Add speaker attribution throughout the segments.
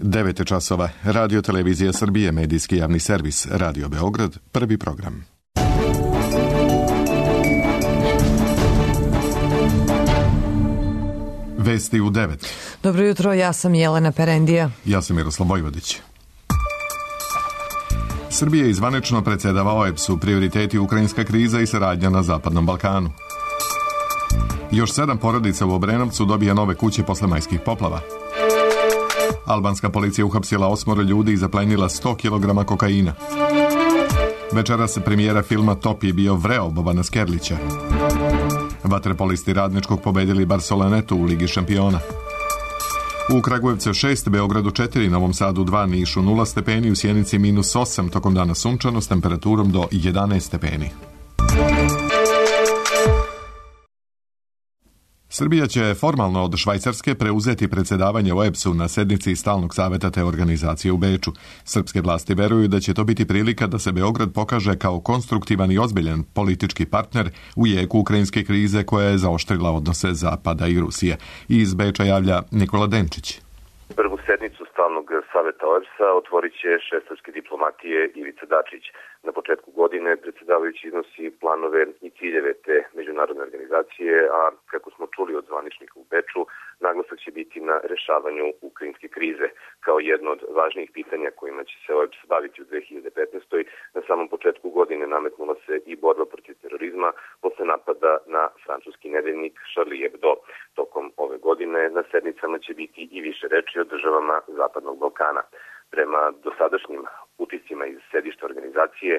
Speaker 1: 9 časova. Radio Televizija Srbije, medijski javni servis, Radio Beograd, prvi program. Vesti u 9.
Speaker 2: Dobro jutro, ja sam Jelena Perendija.
Speaker 1: Ja sam Miroslav Vojvodić. Srbija izvanično predsjedava OEBS-u, prioriteti ukrajinska kriza i saradnja na Zapadnom Balkanu. Još 7 porodica u Obrenovcu dobija nove kuće posle majskih poplava. Albanska policija uhapsila 8 ljudi i zaplenila 100 kg kokaina. Večeras premijera filma Top je bio vreo Bobana Skerlića. Vaterpolisti Radničkog pobedili Barcelonetu u Ligi šampiona. U Kragujevcu 6, Beogradu 4, Novom Sadu 2, Nišu 0 stepeni, u Sjenici -8, tokom dana sunčano s temperaturom do 11 stepeni. Srbija će formalno od Švajcarske preuzeti predsjedavanje OEBS-u na sednici Stalnog saveta te organizacije u Beču. Srpske vlasti veruju da će to biti prilika da se Beograd pokaže kao konstruktivan i ozbiljan politički partner u jeku ukrajinske krize koja je zaoštrila odnose Zapada i Rusije. Iz Beča javlja Nikola Denčić.
Speaker 3: Prvu sednicu Stalnog saveta OEBS-a otvorit će šef srpske diplomatije Ivica Dačić. Na početku godine predsjedavajući iznosi planove i ciljeve te međunarodne organizacije, a kako smo čuli od zvaničnika u Beču, naglasak će biti na rešavanju ukrajinske krize. Kao jedno od važnijih pitanja kojima će se OEBS baviti u 2015. Na samom početku godine nametnula se i borba protiv terorizma posle napada na francuski nedeljnik Charlie Hebdo. Tokom ove godine na sednicama će biti i više reči o državama Zapadnog Balkana. Prema dosadašnjim utiscima iz sedišta organizacije,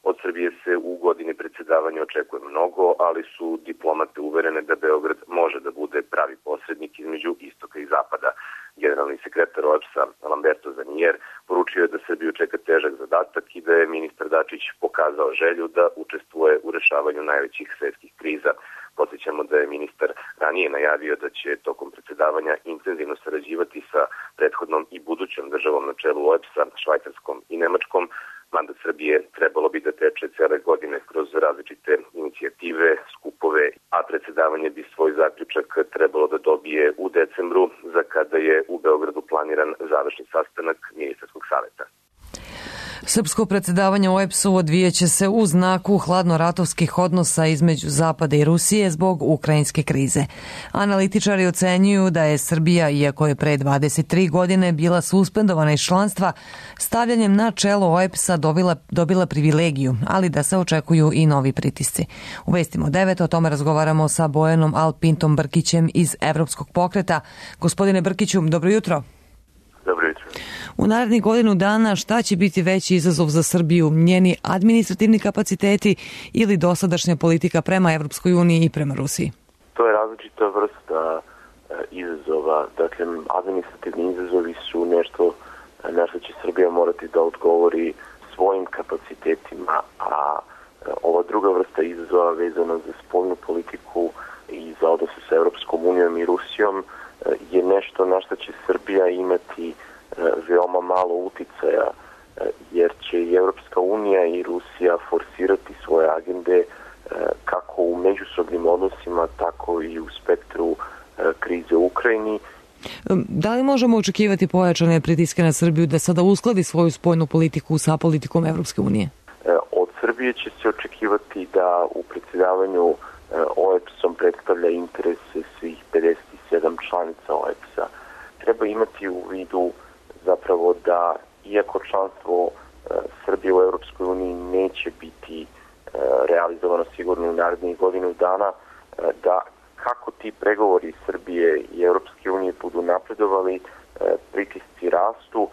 Speaker 3: od Srbije se u godini predsjedavanja očekuje mnogo, ali su diplomate uverene da Beograd može da bude pravi posrednik između istoka i zapada. Generalni sekretar OEBS-a Lamberto Zanier poručio je da Srbiju čeka težak zadatak i da je ministar Dačić pokazao želju da učestvuje u rešavanju najvećih svetskih kriza. Podsjećamo da je ministar ranije najavio da će tokom predsjedavanja intenzivno sarađivati sa prethodnom i budućom državom na čelu OEBS-a, Švajcarskom i Nemačkom. Mandat Srbije trebalo bi da teče cele godine kroz različite inicijative, skupove, a predsjedavanje bi svoj zaključak trebalo da dobije u decembru, za kada je u Beogradu planiran završni sastanak ministarskog saveta.
Speaker 2: Srpsko predsjedavanje OEBS-u odvijeće se u znaku hladnoratovskih odnosa između Zapada i Rusije zbog ukrajinske krize. Analitičari ocenjuju da je Srbija, iako je pre 23 godine bila suspendovana iz članstva, stavljanjem na čelo OEBS-a dobila privilegiju, ali da se očekuju i novi pritisci. U vestima 9 o tome razgovaramo sa Bojanom Alpintom Brkićem iz Evropskog pokreta. Gospodine Brkiću, dobro jutro.
Speaker 3: Dobro jutro.
Speaker 2: U narednih godinu dana šta će biti veći izazov za Srbiju, njeni administrativni kapaciteti ili dosadašnja politika prema Evropskoj uniji i prema Rusiji?
Speaker 4: To je različita vrsta izazova. Dakle, administrativni izazovi su nešto na što će Srbija morati da odgovori svojim kapacitetima, a ova druga vrsta izazova vezana za spoljnu politiku i za odnose sa Evropskom unijom i Rusijom je nešto na što će Srbija imati veoma malo uticaja, jer će i Evropska unija i Rusija forsirati svoje agende kako u međusobnim odnosima, tako i u spektru krize u Ukrajini.
Speaker 2: Da li možemo očekivati pojačane pritiske na Srbiju da sada uskladi svoju spoljnu politiku sa politikom Evropske unije?
Speaker 4: Od Srbije će se očekivati da u predsjedavanju OEBS-om predstavlja interese svih 57 članica OEBS-a. Treba imati u vidu zapravo da, iako članstvo Srbije u Europskoj uniji neće biti realizovano sigurno u narednih godinu dana, da kako ti pregovori Srbije i Europske unije budu napredovali, pritisci rastu,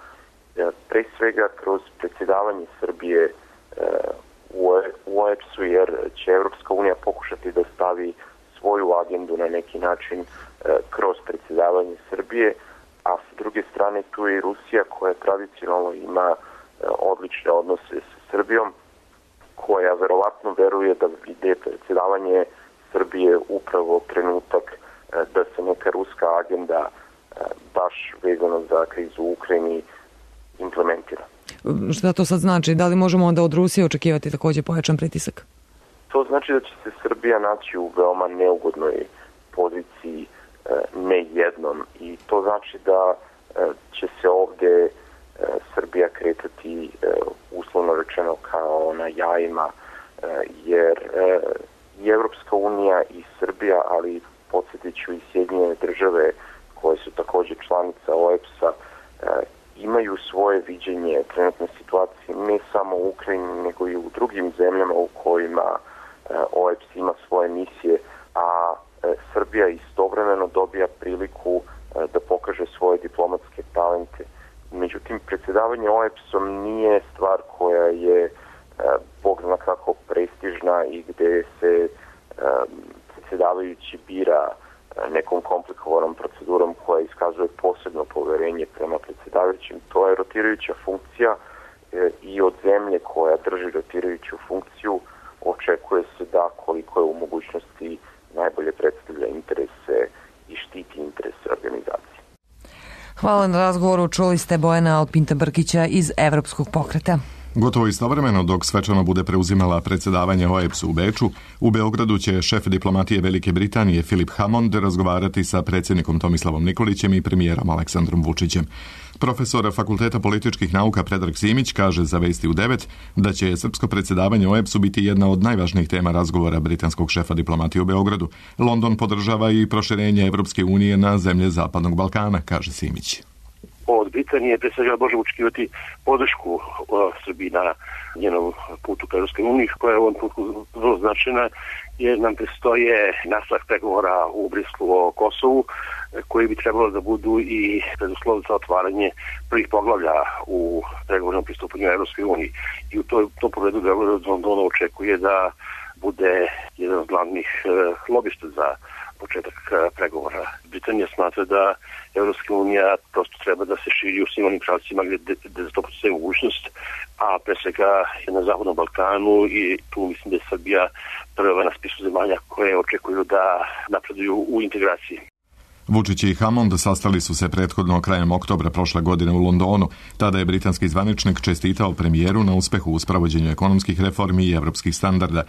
Speaker 4: pre svega kroz predsjedavanje Srbije u OEBS-u, jer će Europska unija pokušati da stavi svoju agendu na neki način kroz predsjedavanje Srbije, a s druge strane tu je i Rusija koja tradicionalno ima odlične odnose sa Srbijom, koja verovatno veruje da ide predsjedavanje Srbije upravo trenutak da se neka ruska agenda baš vezano za krizu u Ukrajini implementira.
Speaker 2: Šta to sad znači? Da li možemo onda od Rusije očekivati također pojačan pritisak?
Speaker 4: To znači da će se Srbija naći u veoma neugodnoj poziciji ne jednom, i to znači da će se ovde Srbija kretati uslovno rečeno kao na jajima, jer i Evropska unija i Srbija, ali podsjetit ću i Sjedinjene Države koje su također članica OEBS-a, imaju svoje viđenje trenutne situacije ne samo u Ukrajini nego i u drugim zemljama u kojima OEBS ima svoje misije, a Srbija istovremeno dobija priliku da pokaže svoje diplomatske talente. Međutim, predsjedavanje OEBS-om nije stvar koja je bog zna kako prestižna i gde se predsjedavajući bira nekom komplikovanom procedurom koja iskazuje posebno poverenje prema predsjedavajućim. To je rotirajuća funkcija i od zemlje koja drži rotirajuću funkciju očekuje se da koliko je u mogućnosti najbolje predstavlja interese i štiti interese organizacije.
Speaker 2: Hvala na razgovoru. Čuli ste Bojana Alpinta Brkića iz Evropskog pokreta.
Speaker 1: Gotovo istovremeno, dok svečano bude preuzimala predsjedavanje OEBS-u u Beču, u Beogradu će šef diplomatije Velike Britanije Philip Hammond razgovarati sa predsjednikom Tomislavom Nikolićem i premijerom Aleksandrom Vučićem. Profesor Fakulteta političkih nauka Predrag Simić kaže za Vesti u 9 da će srpsko predsjedavanje OEBS-u biti jedna od najvažnijih tema razgovora britanskog šefa diplomatije u Beogradu. London podržava i proširenje Evropske unije na zemlje Zapadnog Balkana, kaže Simić.
Speaker 5: Od Britanije pre svega možemo očekivati podršku Srbiji na njenom putu ka Evropskoj uniji, koja je u ovom putu vrlo značajna, jer nam predstoje nastavak pregovora u Brislu o Kosovu, koji bi trebalo da budu i preduslov za otvaranje prvih poglavlja u pregovornom pristupanju Evropskoj uniji. I u tom pogledu Beograd Londona očekuje da bude jedan od glavnih lobista za početak pregovora. Britanija smatra da Evropska unija prosto treba da se širi u svim onim pravcima gde za to postoji mogućnost, a pre svega na Zapadnom Balkanu, i tu mislim da je Srbija prva na spisu zemalja koje očekuju da napreduju u integraciji.
Speaker 1: Vučić i Hammond sastali su se prethodno krajem oktobra prošle godine u Londonu. Tada je britanski zvaničnik čestitao premijeru na uspehu u spravođenju ekonomskih reformi i evropskih standarda.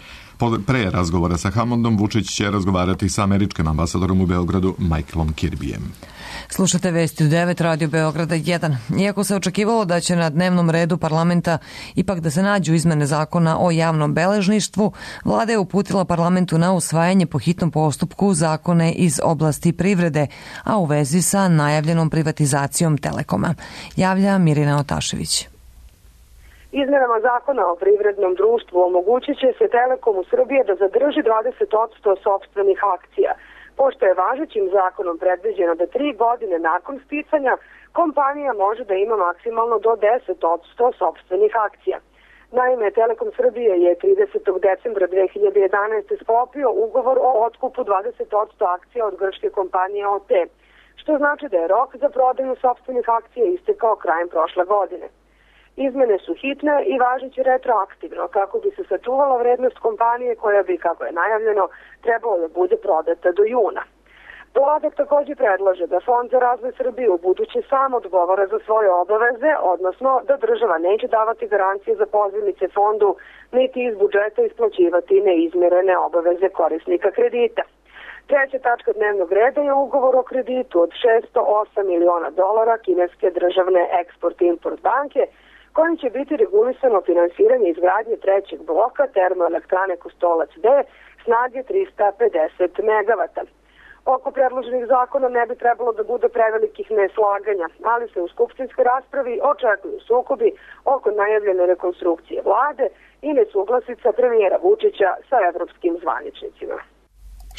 Speaker 1: Pre razgovora sa Hammondom Vučić će razgovarati sa američkim ambasadorom u Beogradu Michaelom Kirbyjem.
Speaker 2: Slušate Vesti u 9, Radio Beograda 1. Iako se očekivalo da će na dnevnom redu parlamenta ipak da se nađu izmene zakona o javnom beležništvu, vlada je uputila parlamentu na usvajanje po hitnom postupku zakone iz oblasti privrede, a u vezi sa najavljenom privatizacijom Telekoma. Javlja Mirina Otašević.
Speaker 6: Izmenama zakona o privrednom društvu omogućit će se Telekomu Srbije da zadrži 20% sopstvenih akcija, pošto je važećim zakonom predviđeno da 3 godine nakon sticanja kompanija može da ima maksimalno do 10% sopstvenih akcija. Naime, Telekom Srbije je 30. decembra 2011. sklopio ugovor o otkupu 20% akcija od grčke kompanije OT, što znači da je rok za prodaju sopstvenih akcija istekao krajem prošle godine. Izmene su hitne i važeće retroaktivno kako bi se sačuvala vrednost kompanije koja bi, kako je najavljeno, trebalo da bude prodata do juna. Vlada također predlaže da Fond za razvoj Srbije u buduće sam odgovara za svoje obaveze, odnosno da država neće davati garancije za pozivnice fondu, niti iz budžeta isplaćivati neizmirene obaveze korisnika kredita. Treća tačka dnevnog reda je ugovor o kreditu od $608 miliona kineske državne Export-Import banke, kojim će biti regulisano finansiranje izgradnje trećeg bloka termoelektrane Kostolac B snage 350 MW. Oko predloženih zakona ne bi trebalo da bude prevelikih neslaganja, ali se u skupštinskoj raspravi očekuju sukobi oko najavljene rekonstrukcije vlade i nesuglasica premijera Vučića sa evropskim zvaničnicima.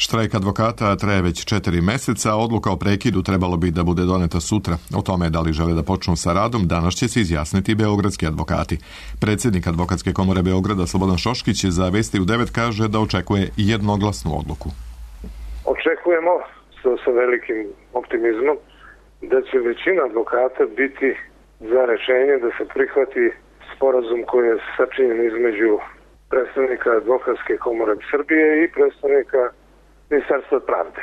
Speaker 1: Štrajk advokata traje već 4 meseca, odluka o prekidu trebalo bi da bude doneta sutra. O tome da li žele da počnu sa radom, danas će se izjasniti beogradski advokati. Predsjednik Advokatske komore Beograda Slobodan Šoškić za Vesti u 9 kaže da očekuje jednoglasnu odluku.
Speaker 7: Očekujemo sa velikim optimizmom da će većina advokata biti za rešenje da se prihvati sporazum koji je sačinjen između predstavnika Advokatske komore Srbije i predstavnika Ministarstva pravde.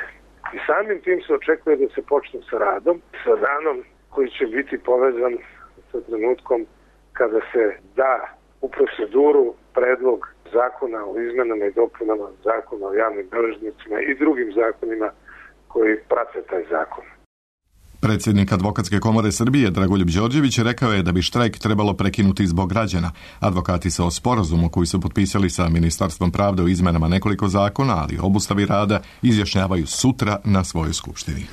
Speaker 7: I samim tim se očekuje da se počne sa radom, sa danom koji će biti povezan sa trenutkom kada se da u proceduru predlog zakona o izmenama i dopunama zakona o javnim beležnicima i drugim zakonima koji prate taj zakon.
Speaker 1: Predsjednik Advokatske komore Srbije Dragoljub Đorđević rekao je da bi štrajk trebalo prekinuti zbog građana. Advokati se o sporazumu koji su potpisali sa Ministarstvom pravde o izmenama nekoliko zakona, ali i obustavi rada, izjašnjavaju sutra na svojoj skupštini.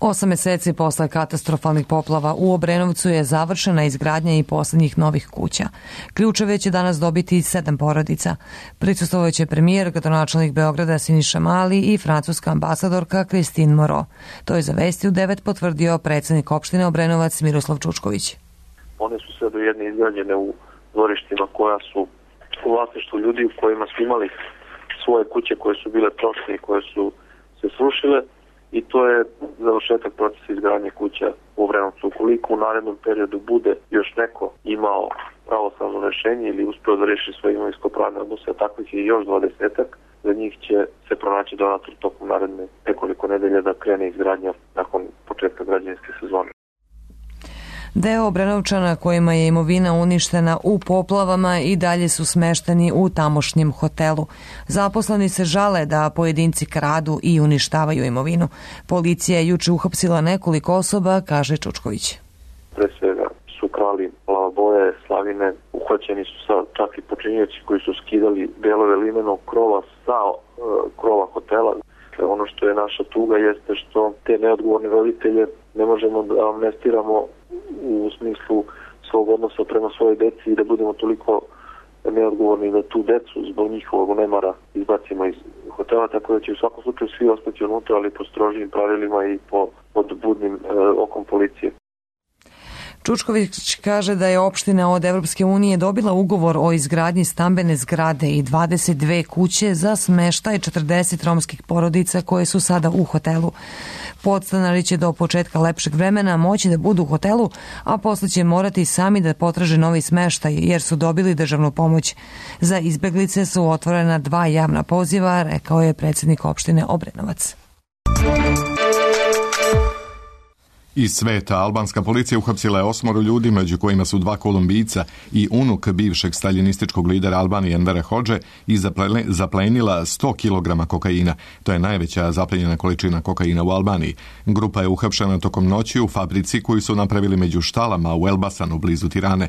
Speaker 2: 8 meseci posle katastrofalnih poplava u Obrenovcu je završena izgradnja i posljednjih novih kuća. Ključeve će danas dobiti 7 porodica. Prisustvovaće premijer, gradonačelnik Beograda Siniša Mali i francuska ambasadorka Christine Moreau. To je za Vesti u 9 potvrdio predsjednik opštine Obrenovac Miroslav Čučković.
Speaker 4: One su sve do jedne izgrađene u dvorištima koja su u vlasništvu ljudi u kojima su imali svoje kuće koje su bile prošle i koje su se srušile, i to je završetak procesa izgradnje kuća u Obrenovcu. Ukoliko u narednom periodu bude još neko imao pravosnažno rešenje ili uspeo da reši svoje imovinsko-pravne odnose, a takvih je još 20-ak, za njih će se pronaći donator tokom naredne nekoliko nedelja da krene izgradnja nakon početka građevinske sezone.
Speaker 2: Deo Obrenovčana kojima je imovina uništena u poplavama i dalje su smešteni u tamošnjem hotelu. Zaposleni se žale da pojedinci kradu i uništavaju imovinu. Policija je juče uhapsila nekoliko osoba, kaže Čučković.
Speaker 4: Pre svega su krali lavaboje, slavine, uhvaćeni su čak i počinioci koji su skidali delove limenog krova sa krova hotela. Ono što je naša tuga jeste što te neodgovorne roditelje ne možemo da amnestiramo u smislu svog odnosa prema svojoj deci i da budemo toliko neodgovorni da tu decu zbog njihovog nemara izbacimo iz hotela, tako da će u svakom slučaju svi ostati unutra, ali po strožijim pravilima i pod budnim okom policije.
Speaker 2: Čučković kaže da je opština od Evropske unije dobila ugovor o izgradnji stambene zgrade i 22 kuće za smeštaj 40 romskih porodica koje su sada u hotelu. Podstanari će do početka lepšeg vremena moći da budu u hotelu, a posle će morati sami da potraže novi smeštaj jer su dobili državnu pomoć. Za izbeglice su otvorena 2 javna poziva, rekao je predsjednik opštine Obrenovac.
Speaker 1: Iz sveta albanska policija uhapsila je 8 ljudi, među kojima su 2 Kolumbijca i unuk bivšeg staljinističkog lidera Albanije Envera Hodže i zaplenila 100 kg kokaina. To je najveća zaplenjena količina kokaina u Albaniji. Grupa je uhapšena tokom noći u fabrici koju su napravili među štalama u Elbasanu blizu Tirane.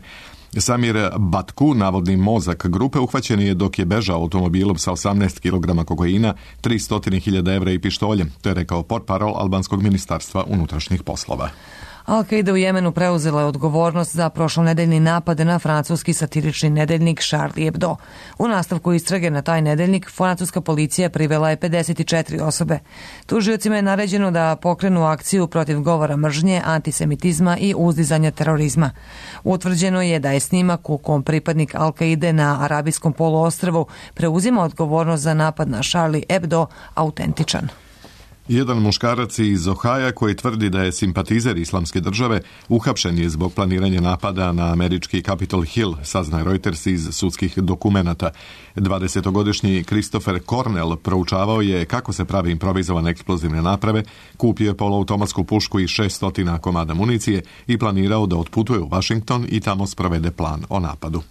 Speaker 1: Samir Batku, navodni mozak grupe, uhvaćen je dok je bežao automobilom sa 18 kg kokaina, 300.000 evra i pištoljem. To je rekao portparol albanskog ministarstva unutrašnjih poslova.
Speaker 2: Al-Qaida u Jemenu preuzela je odgovornost za prošlonedeljni napad na francuski satirični nedeljnik Charlie Hebdo. U nastavku istrage na taj nedeljnik francuska policija privela je 54 osobe. Tužiocima je naređeno da pokrenu akciju protiv govora mržnje, antisemitizma i uzdizanja terorizma. Utvrđeno je da je snimak u kom pripadnik Al-Qaide na Arabijskom poluostrvu preuzima odgovornost za napad na Charlie Hebdo autentičan.
Speaker 1: Jedan muškarac iz Ohaja koji tvrdi da je simpatizer Islamske države uhapšen je zbog planiranja napada na američki Capitol Hill, saznaje Reuters iz sudskih dokumenata. 20-godišnji Christopher Cornell proučavao je kako se pravi improvizovane eksplozivne naprave, kupio je poluautomatsku pušku i 600 komada municije i planirao da otputuje u Washington i tamo sprovede plan o napadu.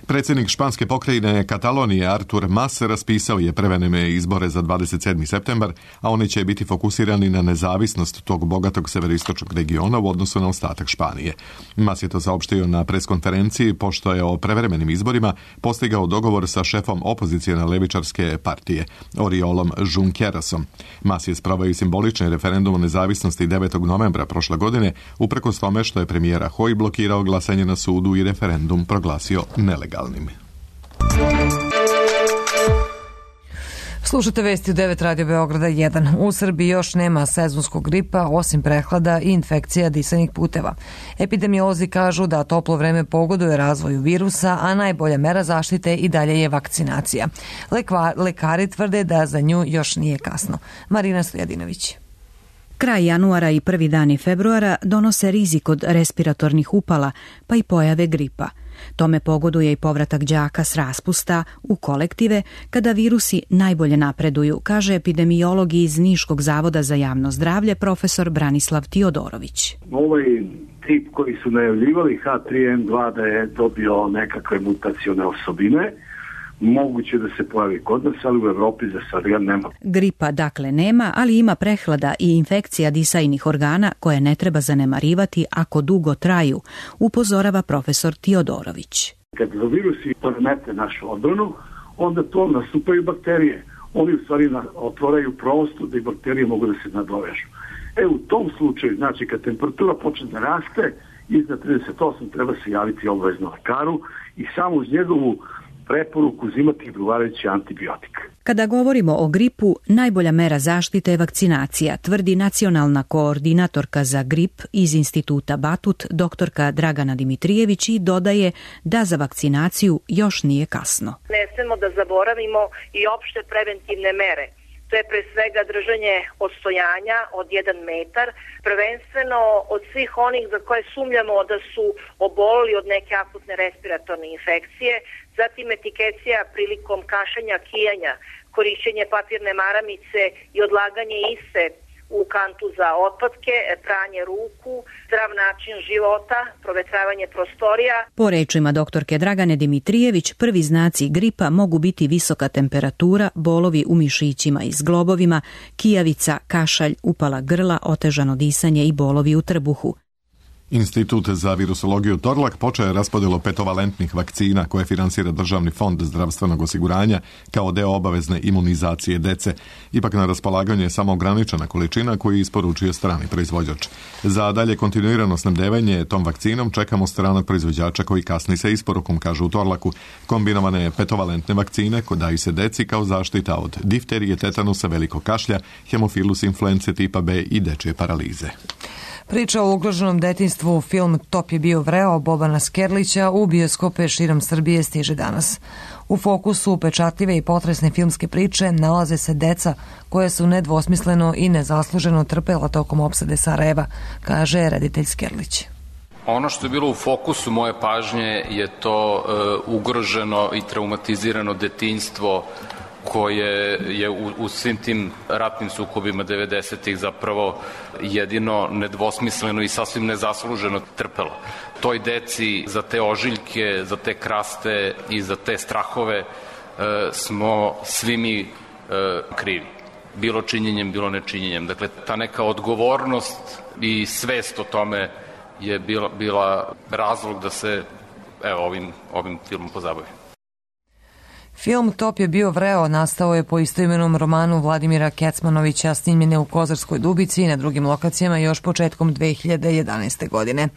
Speaker 1: Predsjednik španske pokrajine Katalonije Artur Mas raspisao je prevenime izbore za 27. septembar, a oni će biti fokusirani na nezavisnost tog bogatog severistočnog regiona u odnosu na ostatak Španije. Mas je to saopštio na preskonferenciji pošto je o prevremenim izborima postigao dogovor sa šefom opozicijne levičarske partije, Oriolom Junquerasom. Mas je sproveo i simbolični referendum o nezavisnosti 9. novembra prošle godine, uprkos tome što je premijer Rajoy blokirao glasanje na sudu i referendum proglasio nelegalnim.
Speaker 2: Slušate Vesti u 9 Radio Beograda 1. U Srbiji još nema sezonskog gripa, osim prehlada i infekcija disanih puteva. Epidemiolozi kažu da toplo vreme pogoduje razvoju virusa, a najbolja mera zaštite i dalje je vakcinacija. Lekari tvrde da za nju još nije kasno. Marina Stojadinović.
Speaker 8: Kraj januara i prvi dani februara donose rizik od respiratornih upala, pa i pojave gripa. Tome pogoduje i povratak đaka s raspusta u kolektive kada virusi najbolje napreduju, kaže epidemiolog iz Niškog zavoda za javno zdravlje profesor Branislav Tiodorović.
Speaker 9: Ovaj tip koji su najavljivali H3N2 da je dobio nekakve mutacione osobine, moguće da se pojavi kod nas, ali u Evropi za sad ga nema.
Speaker 8: Gripa dakle nema, ali ima prehlada i infekcija disajnih organa koje ne treba zanemarivati ako dugo traju, upozorava profesor Tiodorović.
Speaker 9: Kad virusi poremete našu odbranu, onda to nastupaju bakterije. Oni u stvari otvaraju prostor da i bakterije mogu da se nadovežu. U tom slučaju, znači kad temperatura počne da raste, iznad 38 treba se javiti obavezno lekaru i samo uz njegovu preporuku uzimati odgovarajući antibiotik.
Speaker 8: Kada govorimo o gripu, najbolja mera zaštite je vakcinacija, tvrdi nacionalna koordinatorka za grip iz instituta Batut, doktorka Dragana Dimitrijević, i dodaje da za vakcinaciju još nije kasno.
Speaker 10: Ne smemo da zaboravimo i opšte preventivne mere. To je pre svega držanje odstojanja od 1 metar, prvenstveno od svih onih za koje sumnjamo da su obolili od neke akutne respiratorne infekcije, zatim etikecija prilikom kašanja, kijanja, korišćenje papirne maramice i odlaganje iste u kantu za otpadke, pranje ruku, zdrav način života, provetravanje prostorija. Po
Speaker 8: rečima doktorke Dragane Dimitrijević, prvi znaci gripa mogu biti visoka temperatura, bolovi u mišićima i zglobovima, kijavica, kašalj, upala grla, otežano disanje i bolovi u trbuhu.
Speaker 1: Institut za virusologiju Torlak počeo je raspodjelu petovalentnih vakcina koje finansira Državni fond zdravstvenog osiguranja kao deo obavezne imunizacije dece. Ipak na raspolaganju je samo ograničena količina koju isporučuje strani proizvođač. Za dalje kontinuirano snabdevanje tom vakcinom čekamo stranog proizvođača koji kasni sa isporukom, kažu u Torlaku. Kombinovane petovalentne vakcine daju se deci kao zaštita od difterije, tetanusa, velikog kašlja, hemofilus influence tipa B i dečje paralize.
Speaker 2: Priča o ugroženom detinjstvu, film Top je bio vreo Bobana Skerlića u bioskope širom Srbije stiže danas. U fokusu upečatljive i potresne filmske priče nalaze se deca koja su nedvosmisleno i nezasluženo trpela tokom opsade Sarajeva, kaže reditelj Skerlić.
Speaker 11: Ono što je bilo u fokusu moje pažnje je to ugroženo i traumatizirano detinjstvo koje je u svim tim ratnim sukobima 90-ih zapravo jedino nedvosmisleno i sasvim nezasluženo trpelo. Toj deci za te ožiljke, za te kraste i za te strahove smo svi mi krivi. Bilo činjenjem, bilo nečinjenjem. Dakle, ta neka odgovornost i svest o tome je bila razlog da se ovim filmom pozabavi.
Speaker 2: Film Top je bio vreo nastao je po istoimenom romanu Vladimira Kecmanovića, snimljen je u Kozarskoj Dubici i na drugim lokacijama još početkom 2011. godine.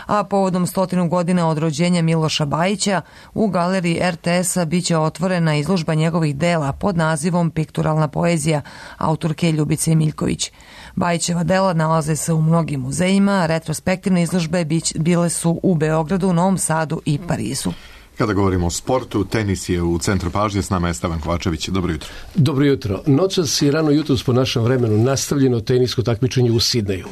Speaker 2: A povodom 100 godina od rođenja Miloša Bajića u galeriji RTS-a biće otvorena izložba njegovih dela pod nazivom Pikturalna poezija autorke Ljubice Miljković. Bajićeva dela nalaze se u mnogim muzejima, retrospektivne izložbe bile su u Beogradu, Novom Sadu i Parizu.
Speaker 1: Kada govorimo o sportu, tenis je u centru pažnje, s nama je Stevan Kovačević. Dobro jutro.
Speaker 12: Dobro jutro. Noćas i rano jutros po našem vremenu nastavljeno tenisko takmičenje u Sidneju.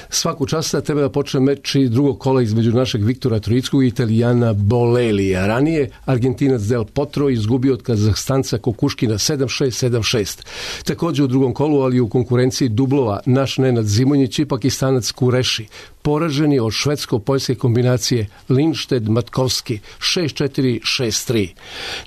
Speaker 12: Svaku čast treba da počne meč i drugog kola između našeg Viktora Troickog i Italijana Bolelija. Ranije Argentinac Del Potro izgubio od Kazahstanca Kokuškina 7-6, 7-6. Također u drugom kolu, ali u konkurenciji dublova, naš Nenad Zimonjić i Pakistanac Kureši poraženi od švedsko-poljske kombinacije Lindstedt-Matkovski 6-4, 6-3.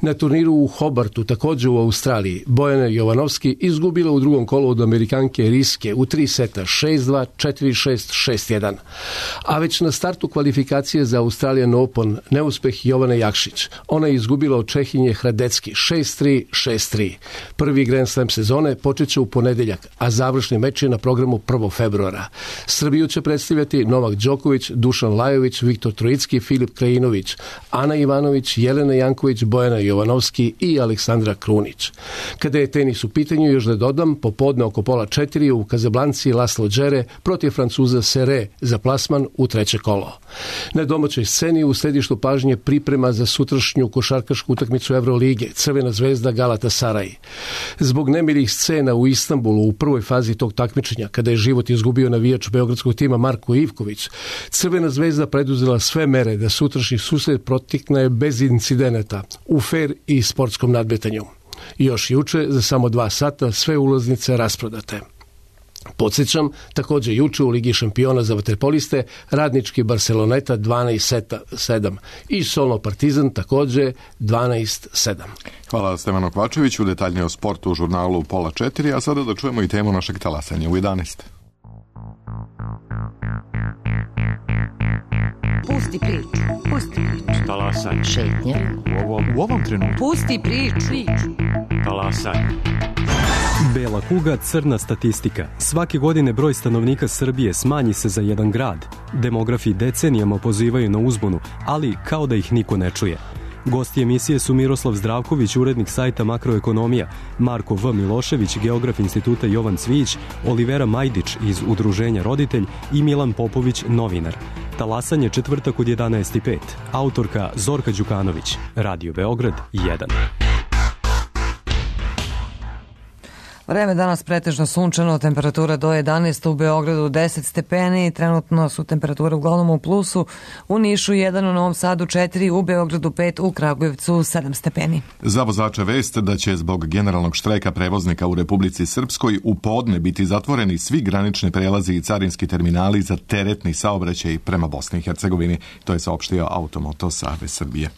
Speaker 12: Na turniru u Hobartu, također u Australiji, Bojana Jovanovski izgubila u drugom kolu od Amerikanke Riske u 3 seta 6-2, 4-6, 6-1. A već na startu kvalifikacije za Australian Open neuspeh Jovane Jakšić. Ona je izgubila od Čehinje Hradecki 6-3, 6-3. Prvi Grand Slam sezone počet će u ponedeljak, a završni meč je na programu 1. februara. Srbiju će predstavljati Novak Đoković, Dušan Lajović, Viktor Troicki, Filip Krajinović, Ana Ivanović, Jelena Janković, Bojana Jovanovski i Aleksandra Krunić. Kada je tenis u pitanju, još da dodam, popodne oko 3:30 u Kazablanci Laslo Džere protiv Francuza Sere za plasman u treće kolo. Na domaćoj sceni u središtu pažnje priprema za sutrašnju košarkašku utakmicu Evrolige, Crvena zvezda Galatasaray. Zbog nemilih scena u Istanbulu u prvoj fazi tog takmičenja, kada je život izgubio navijač beogradskog tima Marko Ivković, Crvena zvezda preduzela sve mere da sutrašnji susret protekne bez incidenata u fer i sportskom nadmetanju. Još juče, za samo 2 sata, sve ulaznice rasprodate. Podsjećam, također juče u Ligi šampiona za vaterpoliste Radnički Barceloneta 12-7 i Solno Partizan također 12-7.
Speaker 1: Hvala Stevanu Kvačeviću, detaljnije o sportu u žurnalu pola 4, a sada da čujemo i temu našeg talasanja u 11.
Speaker 13: Pusti priču, pusti priču.
Speaker 14: Talasanje.
Speaker 13: Šetnje.
Speaker 14: U ovom trenutku.
Speaker 13: Pusti priču.
Speaker 14: Talasanje.
Speaker 15: Bela kuga, crna statistika. Svake godine broj stanovnika Srbije smanji se za jedan grad. Demografi decenijama pozivaju na uzbunu, ali kao da ih niko ne čuje. Gosti emisije su Miroslav Zdravković, urednik sajta Makroekonomija, Marko V. Milošević, geograf instituta Jovan Cvijić, Olivera Majdić iz Udruženja Roditelj i Milan Popović, novinar. Talasanje četvrtak od 11:05. Autorka Zorka Đukanović. Radio Beograd 1.
Speaker 2: Vreme danas pretežno sunčano, temperatura do 11, u Beogradu 10 stepeni, trenutno su temperature uglavnom u plusu, u Nišu 1, u Novom Sadu 4, u Beogradu 5, u Kragujevcu 7 stepeni.
Speaker 1: Za vozače vest da će zbog generalnog štrajka prevoznika u Republici Srpskoj u podne biti zatvoreni svi granični prelazi i carinski terminali za teretni saobraćaj prema Bosni i Hercegovini. To je saopštio Automoto Savez Srbije.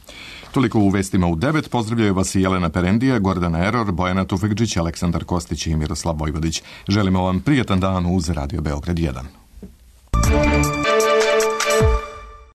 Speaker 1: Toliko u vestima u 9. Pozdravljaju vas i Jelena Perendija, Gordana Eror, Bojana Tufekđić, Aleksandar Kostić i Miroslav Vojvodić. Želimo vam prijatan dan uz Radio Beograd 1.